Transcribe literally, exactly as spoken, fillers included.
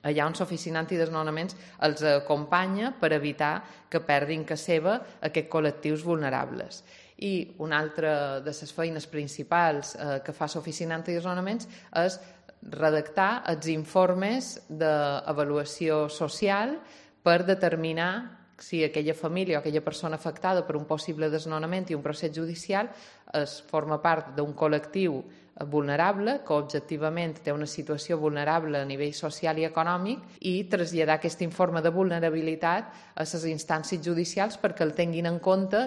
allà on l'oficina antidesnonaments els acompanya per evitar que perdin casa seva aquests col·lectius vulnerables. I una altra de les feines principals eh, que fa l'oficina antidesnonaments és redactar els informes d'avaluació social per determinar si aquella família o aquella persona afectada per un possible desnonament i un procés judicial es forma part d'un col·lectiu vulnerable, que objectivament té una situació vulnerable a nivell social i econòmic, i traslladar aquest informe de vulnerabilitat a les instàncies judicials perquè el tinguin en compte